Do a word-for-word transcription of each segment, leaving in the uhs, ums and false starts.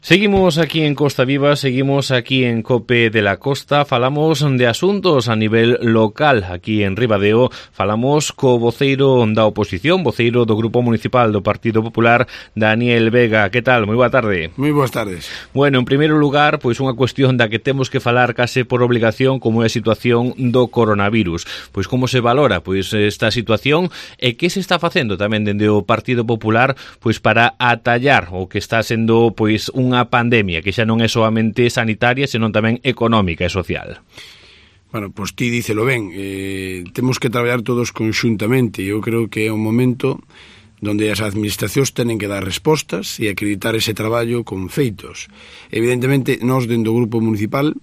Seguimos aquí en Costa Viva, seguimos aquí en COPE de la Costa, falamos de asuntos a nivel local aquí en Ribadeo, falamos co voceiro da oposición, voceiro do Grupo Municipal do Partido Popular, Daniel Vega. Que tal? Moi boa tarde. Moi boas tardes. Bueno, en primeiro lugar, pois unha cuestión da que temos que falar case por obligación, como é a situación do coronavirus. Pois como se valora pois esta situación e que se está facendo tamén dende o Partido Popular pois para atallar o que está sendo pois unha unha pandemia que xa non é soamente sanitaria, senón tamén económica e social. Bueno, pois ti dícelo ben, eh, temos que traballar todos conxuntamente. Eu creo que é un momento donde as administracións tenen que dar respostas e acreditar ese traballo con feitos. Evidentemente, nós dentro do Grupo Municipal,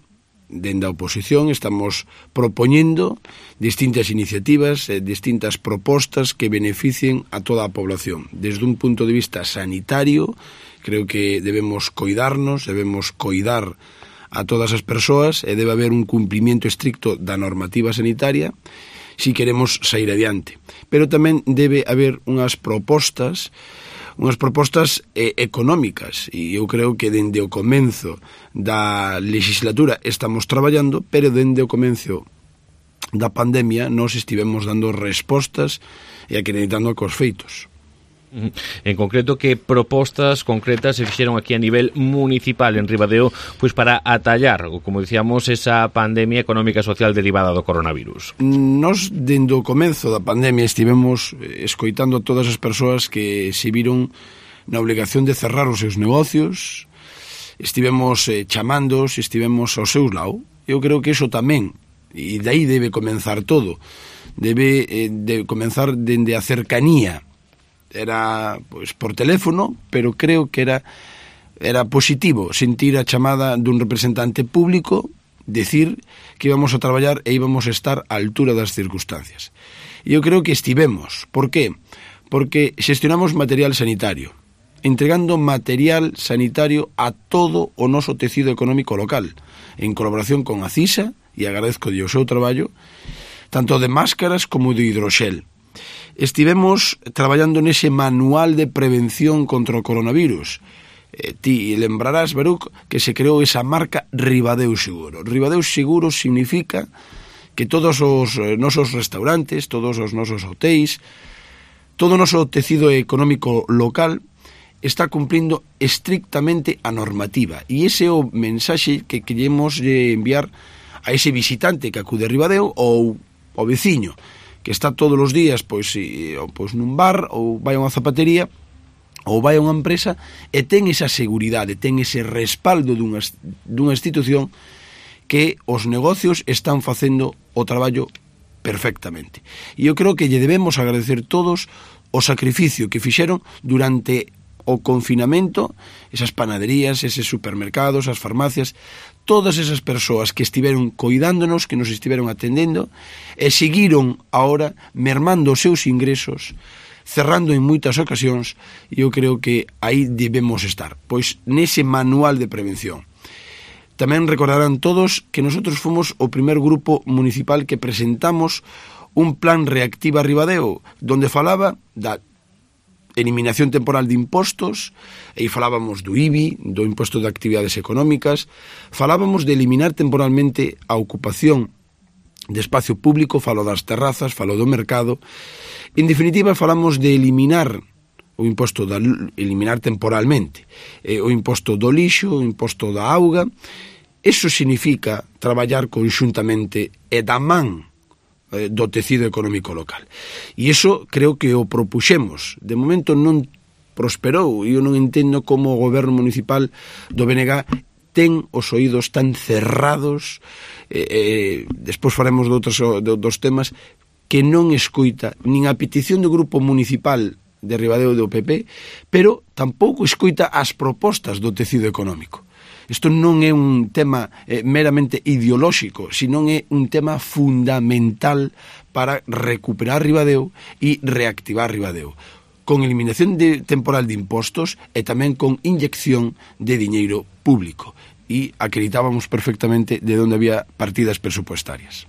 dentro da oposición, estamos propoñendo distintas iniciativas, eh, distintas propostas que beneficien a toda a población. Desde un punto de vista sanitario, creo que debemos coidarnos, debemos coidar a todas as persoas e debe haber un cumprimento estricto da normativa sanitaria si queremos sair adiante. Pero tamén debe haber unhas propostas unhas propostas eh, económicas, e eu creo que dende o comenzo da legislatura estamos traballando, pero dende o comenzo da pandemia nós estivemos dando respostas e acreditando cos feitos. En concreto, que propostas concretas se fixeron aquí a nivel municipal en Ribadeo pois para atallar, como dicíamos, esa pandemia económica e social derivada do coronavirus? Nos, dende o comenzo da pandemia, estivemos escoitando a todas as persoas que se viron na obligación de cerrar os seus negocios, estivemos eh, chamándos, estivemos ao seus lado. Eu creo que iso tamén, e dai debe comenzar todo, debe eh, de comenzar dende a cercanía. Era pois por teléfono, pero creo que era era positivo sentir a chamada dun representante público decir que íbamos a traballar e íbamos a estar á altura das circunstancias. E eu creo que estivemos. Por qué? Porque xestionamos material sanitario, entregando material sanitario a todo o noso tecido económico local, en colaboración con a CISA, e agradezco o seu traballo, tanto de máscaras como de hidroxel. Estivemos traballando nese manual de prevención contra o coronavirus. Eh, ti lembrarás, Baruc, que se creou esa marca Ribadeo Seguro. Ribadeo Seguro significa que todos os nosos restaurantes, todos os nosos hotéis, todo o noso tecido económico local está cumplindo estrictamente a normativa. E ese é o mensaxe que queremos enviar a ese visitante que acude a Ribadeo ou ao veciño, que está todos os días pois, e, pois nun bar ou vai a unha zapatería ou vai a unha empresa e ten esa seguridade, ten ese respaldo dunha, dunha institución que os negocios están facendo o traballo perfectamente. E eu creo que lle debemos agradecer todos o sacrificio que fixeron durante o confinamento, esas panaderías, eses supermercados, as farmacias, todas esas persoas que estiveron coidándonos, que nos estiveron atendendo e seguiron ahora mermando os seus ingresos, cerrando en moitas ocasións, e eu creo que aí debemos estar, pois nese manual de prevención. Tamén recordarán todos que nosotros fomos o primer grupo municipal que presentamos un plan Reactiva Ribadeo, donde falaba da eliminación temporal de impostos, e falábamos do I B I, do imposto de actividades económicas, falábamos de eliminar temporalmente a ocupación de espacio público, falo das terrazas, falo do mercado. En definitiva, falamos de eliminar o imposto da, eliminar temporalmente eh, o imposto do lixo, o imposto da auga. Eso significa traballar conxuntamente e da man do tecido económico local. E iso creo que o propuxemos. De momento non prosperou, e eu non entendo como o goberno municipal do B N G ten os oídos tan cerrados, eh, eh, despois faremos de outros, de outros temas, que non escoita nin a petición do grupo municipal de Ribadeo do P P, pero tampouco escoita as propostas do tecido económico. Isto non é un tema eh, meramente ideolóxico, sino é un tema fundamental para recuperar Ribadeo e reactivar Ribadeo, con eliminación de, temporal de impostos e tamén con inyección de diñeiro público. E acreditábamos perfectamente de onde había partidas presupuestarias.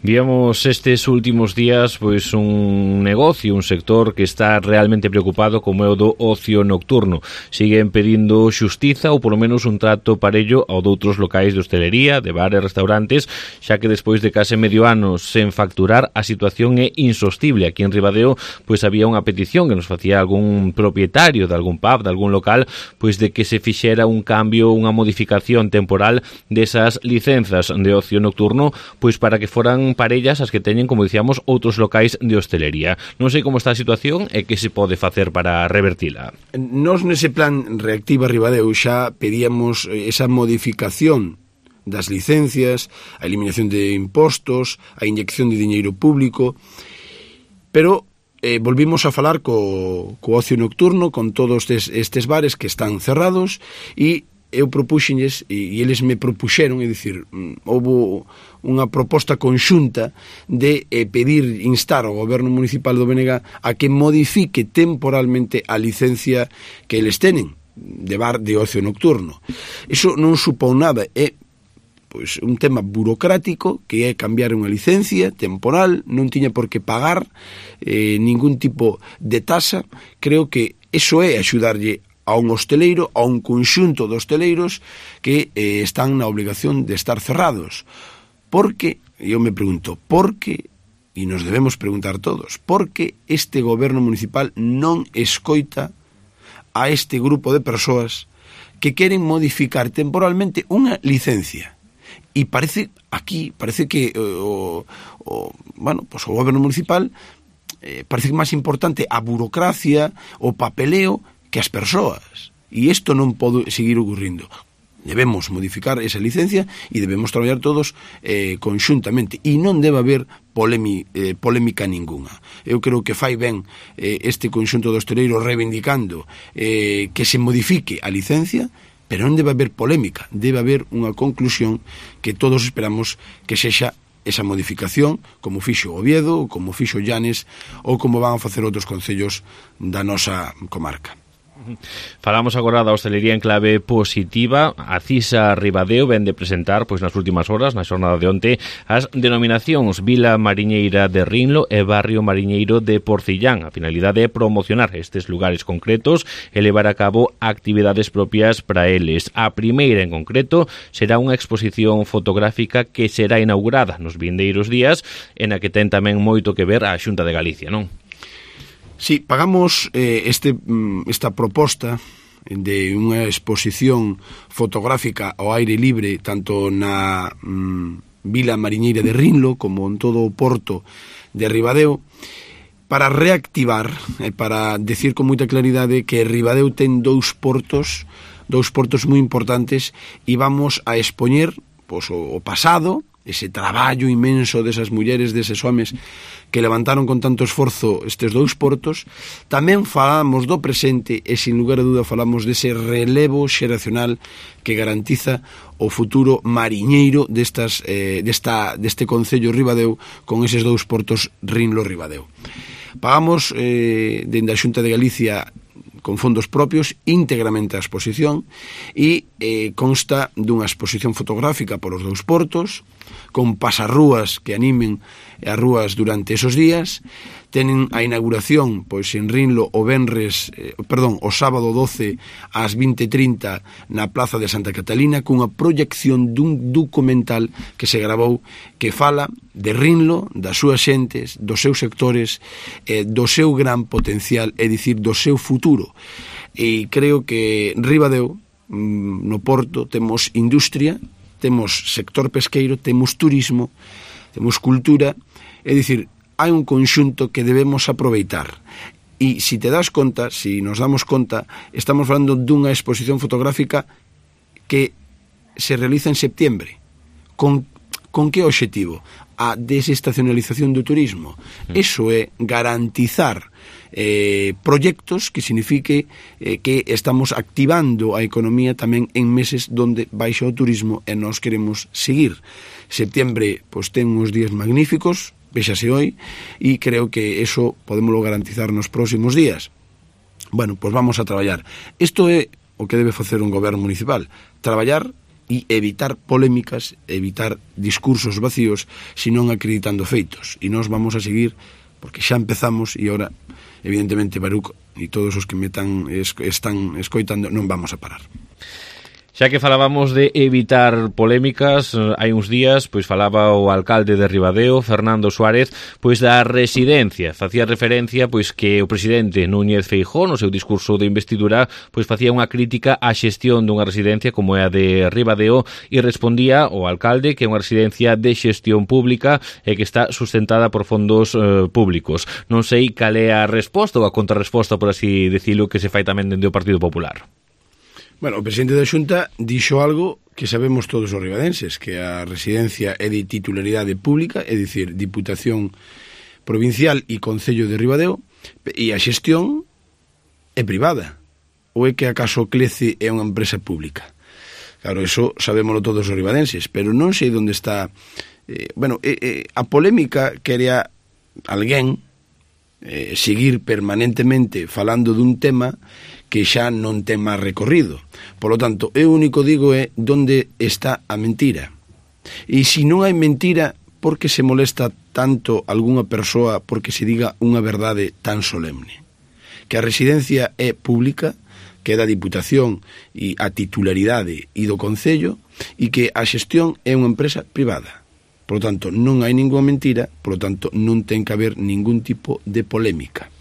Víamos estes últimos días pois un negocio, un sector que está realmente preocupado como é o do ocio nocturno. Siguen pedindo xustiza ou polo menos un trato parello ao doutros locais de hostelería, de bares, restaurantes, xa que despois de case medio ano sen facturar a situación é insostible. Aquí en Ribadeo pois había unha petición que nos facía algún propietario de algún pub, de algún local, pois de que se fixera un cambio, unha modificación temporal desas licenzas de ocio nocturno, pois para que foran parellas as que teñen, como dicíamos, outros locais de hostelería. Non sei como está a situación e que se pode facer para revertila. Nos nese plan Reactiva Ribadeo xa pedíamos esa modificación das licencias, a eliminación de impostos, a inyección de diñeiro público, pero eh, volvimos a falar co, co ocio nocturno, con todos estes, estes bares que están cerrados, e eu propuxenlles, e eles me propuxeron, é dicir, houve unha proposta conxunta de eh, pedir, instar ao goberno municipal do B N G a que modifique temporalmente a licencia que eles tenen de bar de ocio nocturno. Iso non supón nada, é pois un tema burocrático, que é cambiar unha licencia temporal, non tiña por que pagar eh, ningún tipo de tasa. Creo que iso é axudarlle a un hosteleiro, a un conxunto de hosteleiros que eh, están na obligación de estar cerrados. Porque, eu me pregunto, por que, e nos debemos preguntar todos, por que este goberno municipal non escoita a este grupo de persoas que queren modificar temporalmente unha licencia? E parece, aquí, parece que o, o, bueno, pues o goberno municipal eh, parece que máis importante a burocracia, o papeleo, que as persoas. E isto non pode seguir ocurrindo. Debemos modificar esa licencia e debemos traballar todos eh, conxuntamente. E non debe haber polemi, eh, polémica ninguna. Eu creo que fai ben eh, este conxunto de hosteleiros reivindicando eh, que se modifique a licencia, pero non debe haber polémica. Debe haber unha conclusión que todos esperamos que sexa esa modificación, como fixo Oviedo, como fixo Llanes, ou como van a facer outros concellos da nosa comarca. Falamos agora da hostelería en clave positiva. A CISA Ribadeo ven de presentar pois nas últimas horas, na xornada de onte, as denominacións Vila Mariñeira de Rinlo e Barrio Mariñeiro de Porcillán. A finalidade é promocionar estes lugares concretos e levar a cabo actividades propias para eles. A primeira en concreto será unha exposición fotográfica que será inaugurada nos vindeiros días, en a que ten tamén moito que ver a Xunta de Galicia, non? Sí, pagamos eh, este, esta proposta de unha exposición fotográfica ao aire libre tanto na mm, Vila Mariñeira de Rinlo como en todo o porto de Ribadeo para reactivar, eh, para decir con moita claridade que Ribadeo ten dous portos, dous portos moi importantes e vamos a expoñer pois, o, o pasado, ese traballo inmenso desas mulleres, deses homes que levantaron con tanto esforzo estes dous portos. Tamén falamos do presente e, sin lugar a dúda, falamos dese relevo xeracional que garantiza o futuro mariñeiro destas, eh, desta, deste concello Ribadeo con eses dous portos Rinlo-Ribadeo. Pagamos eh, dende a Xunta de Galicia con fondos propios íntegramente a exposición e eh, consta dunha exposición fotográfica polos dous portos con pasarrúas que animen as rúas durante esos días. Tenen a inauguración pois en Rinlo o venres, eh, perdón, o sábado doce ás vinte e trinta na Plaza de Santa Catalina cunha proyección dun documental que se gravou que fala de Rinlo, das súas xentes, dos seus sectores, eh, do seu gran potencial, é dicir, do seu futuro. E creo que Ribadeo, no Porto, temos industria, temos sector pesqueiro, temos turismo, temos cultura, é dicir, hai un conxunto que debemos aproveitar. E se te das conta, se nos damos conta, estamos falando dunha exposición fotográfica que se realiza en septiembre. Con, con que obxectivo? A desestacionalización do turismo. Eso é garantizar eh, proxectos que signifique eh, que estamos activando a economía tamén en meses donde baixa o turismo e nós queremos seguir. Septiembre pois, ten uns días magníficos, véxase hoy, e creo que eso podemoslo garantizar nos próximos días. Bueno, pois vamos a traballar. Isto é o que debe facer un goberno municipal, traballar e evitar polémicas, evitar discursos vacíos, senón acreditando feitos. E nós vamos a seguir, porque xa empezamos, e ahora, evidentemente, Baruch e todos os que me tan, es, están escoitando, non vamos a parar. Xa que falábamos de evitar polémicas, hai uns días pois falaba o alcalde de Ribadeo, Fernando Suárez, pois da residencia. Facía referencia pois que o presidente Núñez Feijóo, no seu discurso de investidura, pois facía unha crítica á xestión dunha residencia como é a de Ribadeo e respondía o alcalde que é unha residencia de xestión pública e que está sustentada por fondos eh, públicos. Non sei cal é a resposta ou a contrarresposta, por así decirlo, que se fai tamén dende o Partido Popular. Bueno, o presidente da Xunta dixo algo que sabemos todos os ribadenses, que a residencia é de titularidade pública, é dicir, Diputación Provincial e Concello de Ribadeo, e a xestión é privada. Ou é que acaso Clece é unha empresa pública? Claro, eso sabémoslo todos os ribadenses, pero non sei onde está... Eh, bueno, eh, eh, a polémica quería alguén eh, seguir permanentemente falando dun tema que xa non ten máis recorrido. Por lo tanto, eu único digo é onde está a mentira. E se non hai mentira, por que se molesta tanto algunha persoa porque se diga unha verdade tan solemne? Que a residencia é pública, que é da Diputación e a titularidade e do Concello, e que a xestión é unha empresa privada. Por lo tanto, non hai ninguna mentira, por lo tanto, non ten que haber ningún tipo de polémica.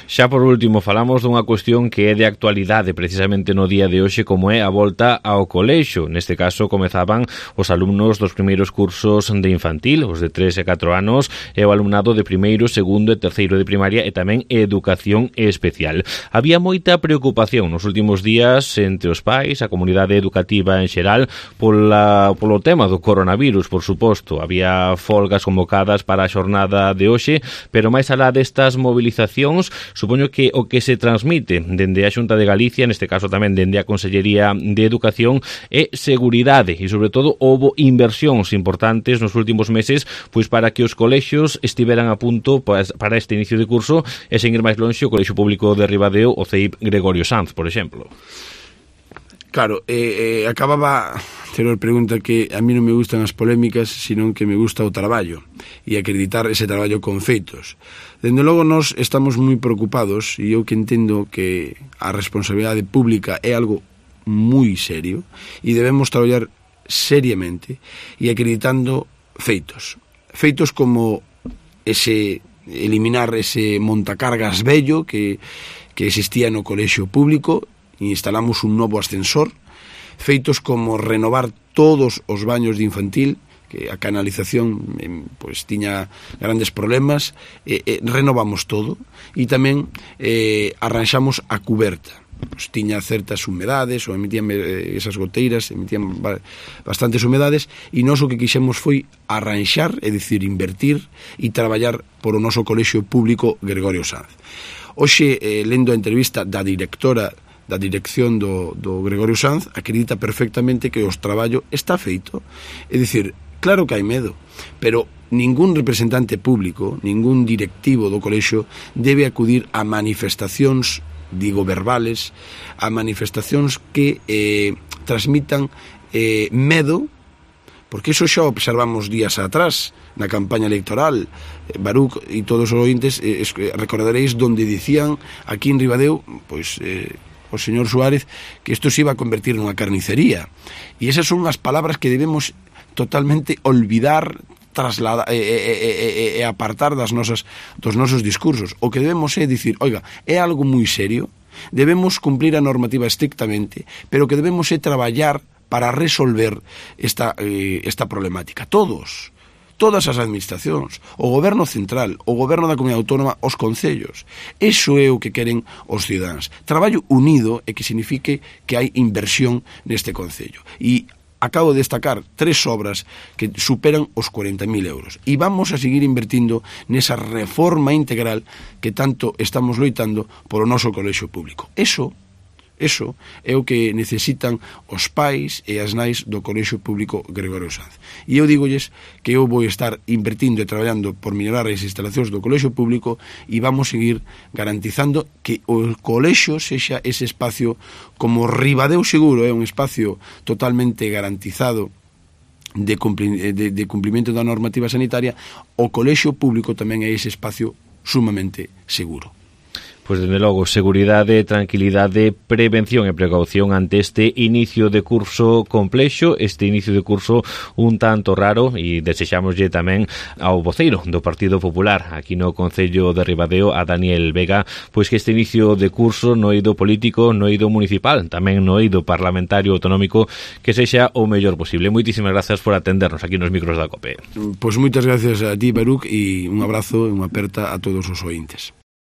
Xa por último, falamos dunha cuestión que é de actualidade precisamente no día de hoxe, como é a volta ao colexio. Neste caso, comezaban os alumnos dos primeiros cursos de infantil, os de tres e catro anos, e o alumnado de primeiro, segundo e terceiro de primaria e tamén educación especial. Había moita preocupación nos últimos días entre os pais, a comunidade educativa en xeral, pola, polo tema do coronavirus, por suposto. Había folgas convocadas para a xornada de hoxe, pero máis alá destas movilizacións, supoño que o que se transmite dende a Xunta de Galicia, neste caso tamén dende a Consellería de Educación, é seguridade e, sobre todo, houbo inversións importantes nos últimos meses pois para que os colexios estiveran a punto para este inicio de curso e, sen ir máis lonxe, o Colexio Público de Ribadeo, o C E I P Gregorio Sanz, por exemplo. Claro, eh, eh, acababa ter a pregunta que a mí non me gustan as polémicas, senón que me gusta o traballo e acreditar ese traballo con feitos. Dende logo, nós estamos moi preocupados e eu que entendo que a responsabilidade pública é algo moi serio e debemos traballar seriamente e acreditando feitos. Feitos como ese eliminar ese montacargas vello que, que existía no colexio público. Instalamos un novo ascensor, feitos como renovar todos os baños de infantil, que a canalización pois tiña grandes problemas, e, e renovamos todo, e tamén eh, arranxamos a cuberta. Pois tiña certas humedades, ou emitían eh, esas goteiras, emitían bastantes humedades, e nós o que quixemos foi arranxar, é dicir, invertir e traballar por o noso colexio público Gregorio Sanz. Hoxe, eh, lendo a entrevista da directora da dirección do, do Gregorio Sanz, acredita perfectamente que o traballo está feito. É dicir, claro que hai medo, pero ningún representante público, ningún directivo do colexio debe acudir a manifestacións, digo, verbales, a manifestacións que eh, transmitan eh, medo, porque iso xa observamos días atrás na campaña electoral. Baruch e todos os ointes eh, recordaréis donde dicían aquí en Ribadeo, pois eh, o señor Suárez, que isto se iba a convertir nunha carnicería. E esas son as palabras que debemos totalmente olvidar, trasladar e, e, e, e apartar das nosas, dos nosos discursos. O que debemos é dicir, oiga, é algo moi serio, debemos cumplir a normativa estrictamente, pero que debemos é traballar para resolver esta, eh, esta problemática. Todos. Todas as administracións, o goberno central, o goberno da comunidade autónoma, os concellos. Iso é o que queren os cidadáns. Traballo unido e que signifique que hai inversión neste concello. E acabo de destacar tres obras que superan os cuarenta mil euros. E vamos a seguir invertindo nesa reforma integral que tanto estamos loitando polo noso colexio público. Eso Eso é o que necesitan os pais e as nais do Colexio Público Gregorio Sanz. E eu dígolles que eu vou estar invertindo e traballando por mellorar as instalacións do Colexio Público e vamos seguir garantizando que o colexio sexa ese espacio como Ribadeo Seguro, é un espacio totalmente garantizado de, cumpli, de, de cumplimento da normativa sanitaria. O Colexio Público tamén é ese espacio sumamente seguro. Pois, dende logo, seguridade, tranquilidade, prevención e precaución ante este inicio de curso complexo, este inicio de curso un tanto raro, e desexámoslle tamén ao voceiro do Partido Popular aquí no Concello de Ribadeo, a Daniel Vega, pois que este inicio de curso no eido político, no eido municipal, tamén no eido parlamentario autonómico, que sexa o mellor posible. Moitísimas grazas por atendernos aquí nos micros da COPE. Pois moitas gracias a ti, Baruch, e un abrazo e unha aperta a todos os ointes.